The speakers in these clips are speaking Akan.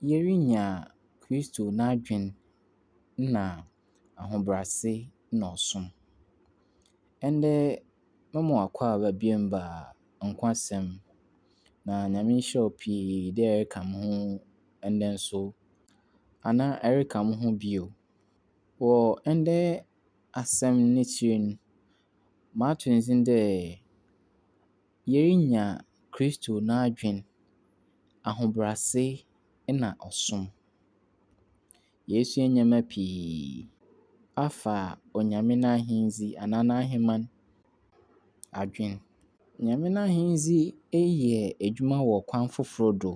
Yerinya Kristo n'adwen na ahobrɛase na ɔsom. Ndɛ mema wo akwaaba bio ba Nkwasɛm. Na Nyame nhyira wo pii dɛ ereka mo ho ndɛ nso anaa ereka mo ho bio. Wɔ ndɛ asɛm n'ekyir no, mato ne dzin dɛ yerinya Kristo n'adwen, ahobrɛase na ɔsom. Yesua ndzɛmba pii afa Onyame n'ahendzi anaa n'aheman adwen. Nyame n'ahendzi yɛ edwuma wɔ kwan fofor do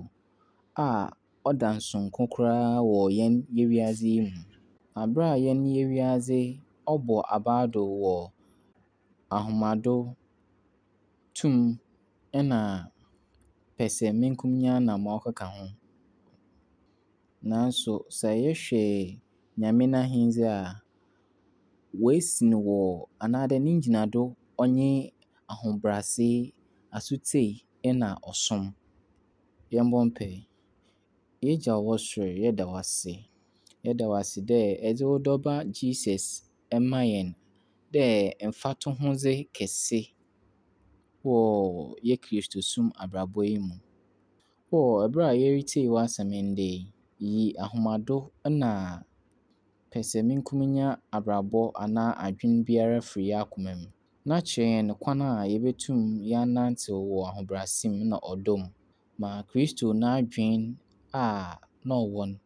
a ɔda nsonko koraa wɔ hɛn wiadze yi mu. Aber a hɛn wiadze ɔbɔ aber do wɔ ahomado, tum na pɛsɛmenkominya na ma ɔkeka ho. Naaso sɛ yɛhwɛ Nyame n'ahendzi a, woesi no wɔ anaadɛ ne ngyinado ɔnye ahobrɛase, asotsie na ɔsom. Yɛmbɔ mpae. Egya a ɔwɔ sor, yɛda wo ase. Yɛda wo ase dɛ edze wo dɔba Jesus ma hɛn dɛ mfatohodze kɛse wɔ yɛ Kristosom abrabɔ yi mu. Wɔ ber a yeritsie w'asɛm ndɛ yi, yi ahomado na pɛsɛmenkominya abrabɔ anaa adwen biara fir hɛn akoma mu. Na kyerɛ hɛn kwan a yebotum yɛanantsew wɔ ahobrɛase mu na ɔdɔ mu. Ma Kristo n'adwen a na ɔwɔ no,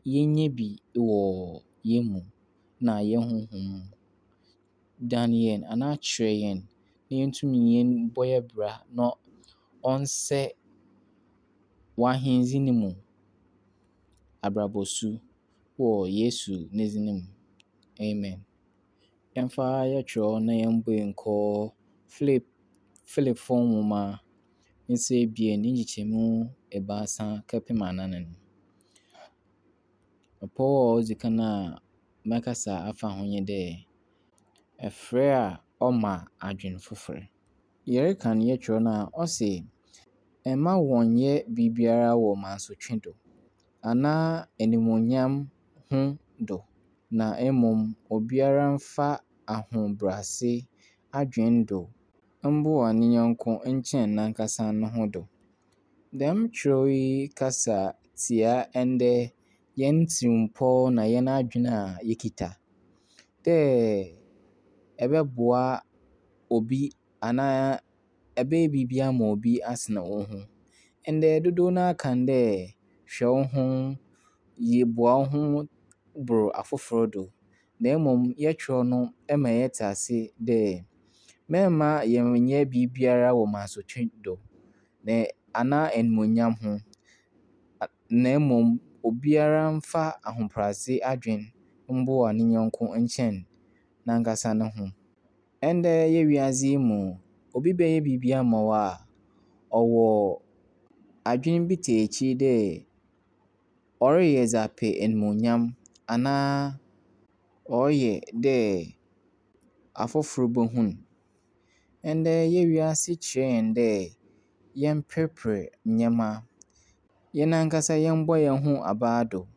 yenya bi wɔ hɛn mu na hɛn honhom mu. Dan hɛn anaa kyerɛ hɛn na yentum yɛmbɔ hɛn bra na ɔnsɛ w'ahendzi no mu abrabɔsu wɔ Yesu ne dzin mu. Amen. Yɛmfa yɛtwerɛ na yɛmbue nkɔ Philip Philipfo nwoma ne tsir ebien ne nkyekyɛmu ebiasa kɛpem anan no. Ɔpɔw a odzi kan a mɛkasa afa ho nye dɛ, ɛfrɛ a ɔma adwen fofor. Yɛrekan yɛtwerɛ no a, ɔse, mma wɔnnyɛ biribiara wɔ mansotwe do anaa animuonyam ho do, na mmom obiara mfa ahobrɛase adwen do mboa ne nyɛnko nkyɛn nankasa no ho do. Dɛm kyerɛw yi kasa tsia ndɛ hɛn tsirmpɔw na hɛn adwen a yɛkita dɛ ɛbɛboa obi anaa ɛbɛyɛ biribi ama obi asen wo ho. Ndɛ dodow no ara ka dɛ hwɛ wo ho, yɛ boa wo ho bor afofor do. Na mmom yɛtwerɛ no ma yɛtse ase dɛ mɛmma yɛnnyɛ biribiara wɔ mansotwe do na anaa animuonyam ho. Na mmom obiara mfa ahobrɛase adwen mboa ne nyɛnko nkyɛn nankasa no ho. Ndɛ yɛ wiadze yi mu, obi bɛyɛ biribi ama wo a, ɔwɔ adwen bi tse ekyir dɛ ɔreyɛ dze apɛ animuonyam anaa ɔreyɛ dɛ afofor bohu no. Ndɛ yɛ wiase kyerɛ hɛn dɛ yɛmperper ndzɛmba, hɛn ankasa yɛmbɔ hɛn ho abaa do.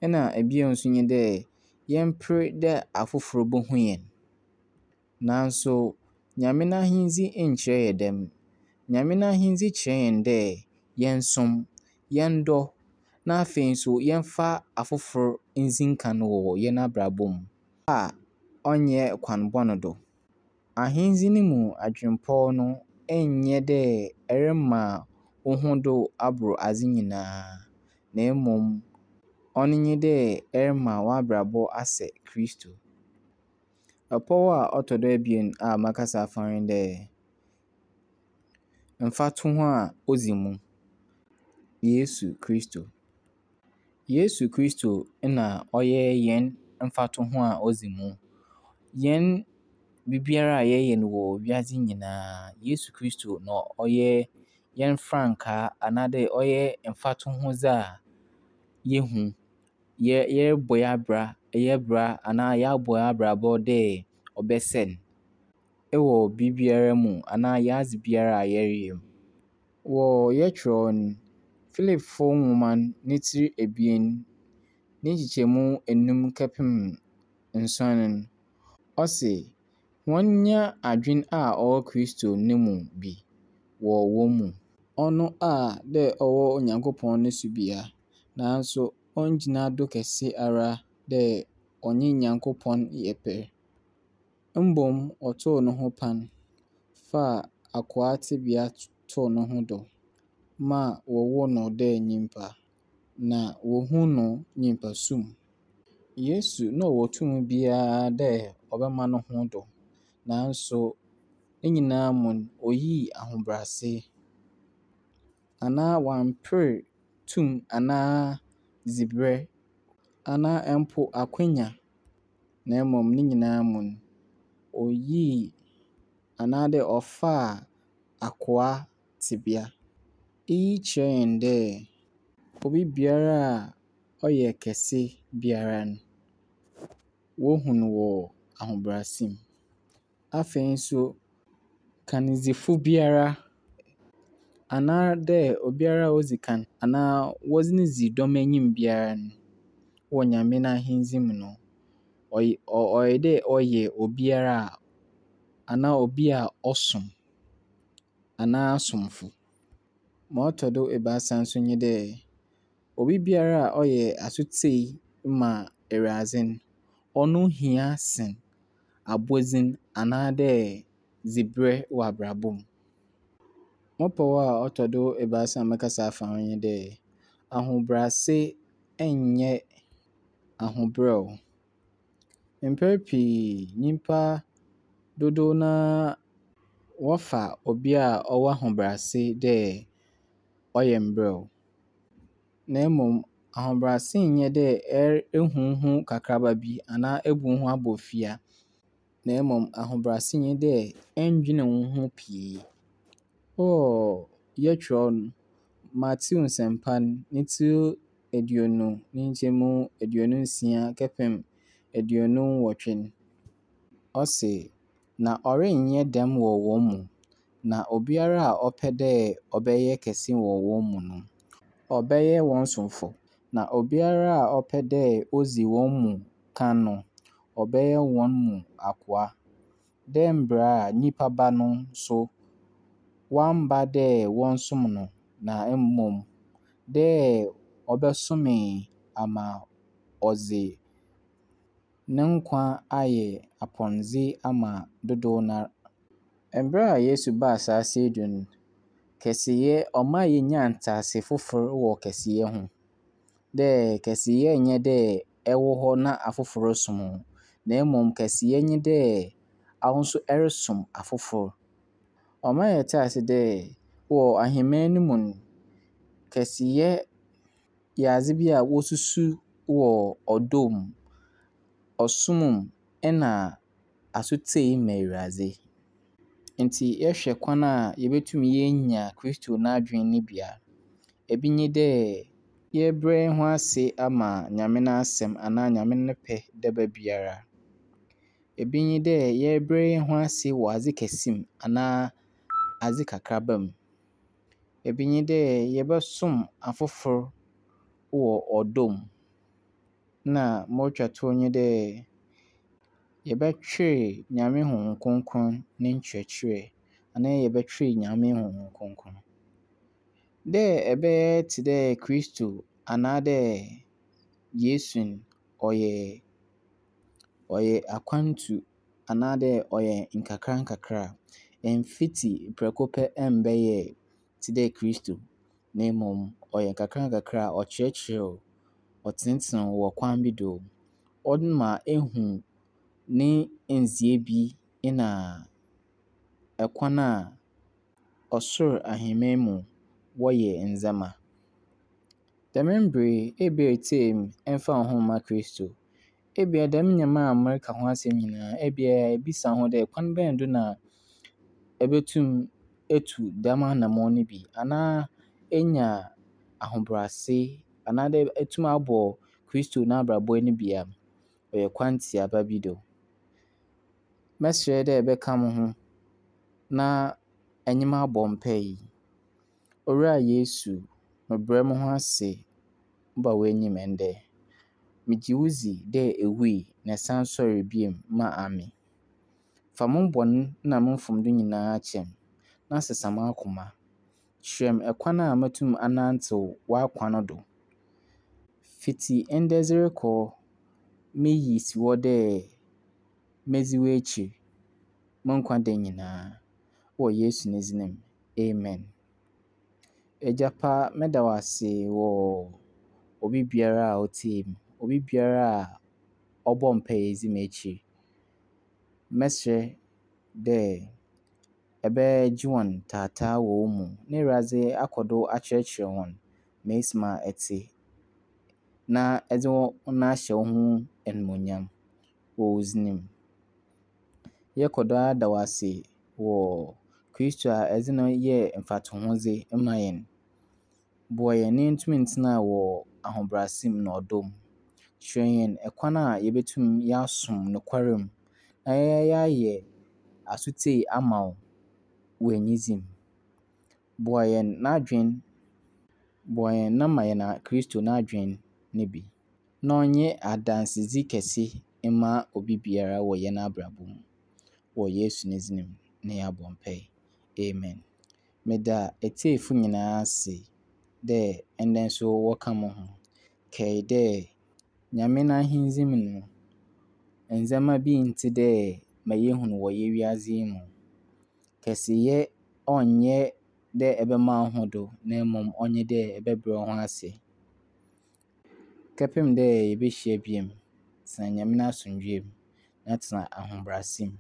Ɛna bio nso nye dɛ yɛmper dɛ afofor bohu hɛn. Naaso Nyame n'ahendzi nnkyerɛ hɛn dɛm. Nyame n'ahendzi kyerɛ hɛn dɛ yɛnsom, yɛndɔ, na afei nso yɛmfa afofor ndzi nkan wɔ hɛn abrabɔ mu a ɔnnyɛ kwan bɔn do. Ahendzi no mu adwenpɔw no nnyɛ dɛ ɛrema wo ho do abor adze nyinaa, na mmom ɔno nye dɛ ɛrema w'abrabɔ asɛ Kristo. Ɔpɔw a ɔtɔ do ebien a mɛkasa afa ho nye dɛ, mfatoho a odzi mu, Yesu Kristo. Yesu Kristo na ɔyɛ hɛn mfatoho a odzi mu. Hɛn biribiara a yɛyɛ no wɔ wiadze nyinaa, Yesu Kristo na ɔyɛ hɛn frankaa anaadɛ ɔyɛ mfatohodze a yehu. Yɛ yɛrobɔ hɛn abra yɛ bra anaa yɛabɔ hɛn abrabɔ dɛ ɔbɛsɛ no wɔ biribiara mu anaa hɛn adze biara a yɛreyɛ mu. Wɔ yɛtwerɛ no, Philipfo nwoma ne tsir ebien ne nkyekyɛmu enum kɛpem nsuon no, ɔse, Hɔn nya adwen a ɔwɔ Kristo no mu bi wɔ hɔn mu. Ɔno a dɛ ɔwɔ Onyankopɔn no su bea, naaso onngyina do kɛse ara dɛ ɔnye Nyankopɔn yɛ pɛr, mbom ɔtoow noho pan, faa akowaa tsebea too noho do ma wɔwoo no dɛ nyimpa, na wohun no nyimpasu mu. Yesu na ɔwɔ tum biara dɛ ɔbɛma noho do, naaso ne nyina mu no, oyii ahobrɛase anaa ɔammper tum anaa dziberɛ anaa mpo akwanya, na mbom ne nyina mu no, oyii anaadɛ ɔfaa akowaa tsebea. Iyi kyerɛ hɛn dɛ obi biara a ɔyɛ kɛse biara no, wohu no wɔ ahobrɛase mu. Afei so, kandzifo biara anaadɛ obiara a odzi kan anaa wɔdze no dzi dɔm enyim biara no wɔ Nyame n'Ahendzi mu no, ɔyɛ dɛ ɔyɛ obiara a anaa obi a ɔsom anaa somfo. Ma ɔtɔ do ebiasa so nye dɛ, obi biara a ɔyɛ asotsei ma Ewuradze no, ɔno hia sen abɔdzin anaadɛ dziberɛ wɔ abrabɔ mu. Mo pɔw a ɔtɔ do ebiasa a mɛkasa afa ho nye dɛ, ahobrɛase nnyɛ ahobrɛw. Mpɛn pii nyimpa dodow no ara wɔfa obi a ɔwɔ ahobrɛase dɛ ɔyɛ mberɛw. Na mbom ahobrɛase nnyɛ dɛ ehu woho kakraba bi anaa ebu woho abɔfia, na mbom ahobrɛase nye dɛ enndwen woho pii. Wɔ yɛtwerɛw no, Matthew Nsɛmpa no ne tsir 20 ne nkyɛmu 26 kɛpem 28 no, ɔse, Na ɔrennyɛ dɛm wɔ hɔn mu, na obiara a ɔpɛ dɛ ɔbɛyɛ kɛse wɔ hɔn mu no, ɔbɛyɛ hɔn somfo, na obiara a ɔpɛ dɛ odzi hɔn mu kan no, ɔbɛyɛ hɔn mu akowaa, dɛ mbrɛ a nyimpa Ba no so ɔammba dɛ wɔnsom no, na mbom dɛ ɔbɛsomee ama ɔdze no nkwa ayɛ apɔndze ama dodow noara. Mber a Yesu baa asaase yi do no, kɛseyɛ ɔmaa yenyaa ntseasee fofor wɔ kɛseyɛ ho. Dɛ kɛseyɛ nnyɛ dɛ ewɔ hɔ na afofor rosom wo, na mbom kɛseyɛ nye dɛ awo so erosom afofor. Ɔma yɛtse ase dɛ wɔ ahenman no mu no, kɛseyɛ yɛ adze bi a wosusu wɔ ɔdɔ mu, ɔsom mu na asotsie ma Ewuradze. Ntsi yɛhwɛ kwan a yebotum yeenya Kristo n'adwen no bi a, bi nye dɛ yɛrebrɛ hɛnho ase ama Nyame n'asɛm anaa Nyame ne pɛ daba biara. Bi nye dɛ yɛrebrɛ hɛnho ase wɔ adze kɛse mu anaa adze kakraba mu. Bi nye dɛ yɛbɔsom afofor wɔ ɔdɔ mu. Na ma otwa tow nye dɛ yɛbɛtwer Nyame Honhom Kronkron ne nkyerɛkyerɛ anaa yɛbɛtwer Nyame Honhom Kronkron. Dɛ ebɛyɛ tse dɛ Kristo anaadɛ Yesu no, ɔyɛ ɔyɛ akwantu anaadɛ ɔyɛ nkakrankakra. Mmfitsi prɛko pɛ mmbɛyɛ tse dɛ Kristo, na mbom ɔyɛ nkakrankakra a ɔkyerɛkyerɛ wo, ɔtsentseen wo wɔ kwan bi do. Ɔma ehu ne ndzeyɛɛ bi na kwan a ɔsor ahenman mu wɔyɛ ndzɛmba. Dɛm mber yi, ebia eretsie me, mmfaa woho mmaa Kristo. Ebia dɛm ndzɛmba a mereka ho asɛm nyina, ebia ibisa woho dɛ kwan bɛn do na ebetum etu dɛm anamɔn no bi anaa enya ahobrɛase anaadɛ etum abɔ Kristo n'abrabɔ no bi a, ɔyɛ kwan tsiaba bi do. Mɛserɛ dɛ ebɛka mo ho na enye me abɔ mpaa yi. Owura Yesu, Mebrɛ moho ase ba w'enyim ndɛ. Megye wo dzi dɛ ewui na esan soɛree bio maa ame. Fa mo bɔn na mo mfomdo nyina kyɛ me na sesa m'akoma. Kyerɛ me kwan a motum anantsew w'akwan do. Fitsi ndɛ dze rokɔ, meyi si hɔ dɛ medzi w'ekyir mo nkwa nda nyina. Wɔ Yesu ne dzin mu, amen. Egya pa, meda wo ase wɔ obi biara a otsie me, obi biara a ɔbɔ mpae dzi m'ekyir. Mɛserɛ dɛ ebɛgye hɔn taataa wɔ wo mu na Ewuradze akɔ do akyerɛkyerɛ hɔn ma esi ma etse na edze hɔn ahyɛ wo ho enyimnyam wɔ wo dzin mu. Yɛkɔ do ara da wo ase wɔ Kristo a edze no yɛɛ mfatohodze ma hɛn. Boa hɛn na yentum ntsena wɔ ahobrɛase mu na ɔdɔ mu. Kyerɛ hɛn kwan a yebetum yɛasom nokwar mu na yɛayɛ asotsie ama wo wɔ enyidzi mu. Boa hɛn n'adwen, boa hɛn na ma hɛn Kristo n'adwen no bi na ɔnyɛ adansedzi kɛse mma obi biara wɔ hɛn abrabɔ mu. Wɔ Yesu ne dzin mu na yɛabɔ mpae. Amen. Meda etsiefo nyinaa ase dɛ ndɛ nso wɔka mo ho. Kae dɛ Nyame n'ahendzi mu no, ndzɛmba bi nntse dɛ ma yehu no wɔ hɛn wiadze yi mu. Kɛseyɛ ɔnnyɛ dɛ ebɛma wo ho do na mbom ɔnye dɛ ebɛbrɛ wo ho ase. Kɛpem dɛ yebehyia bio, tsena Nyame n'asomdwee mu na tsena ahobrɛase mu.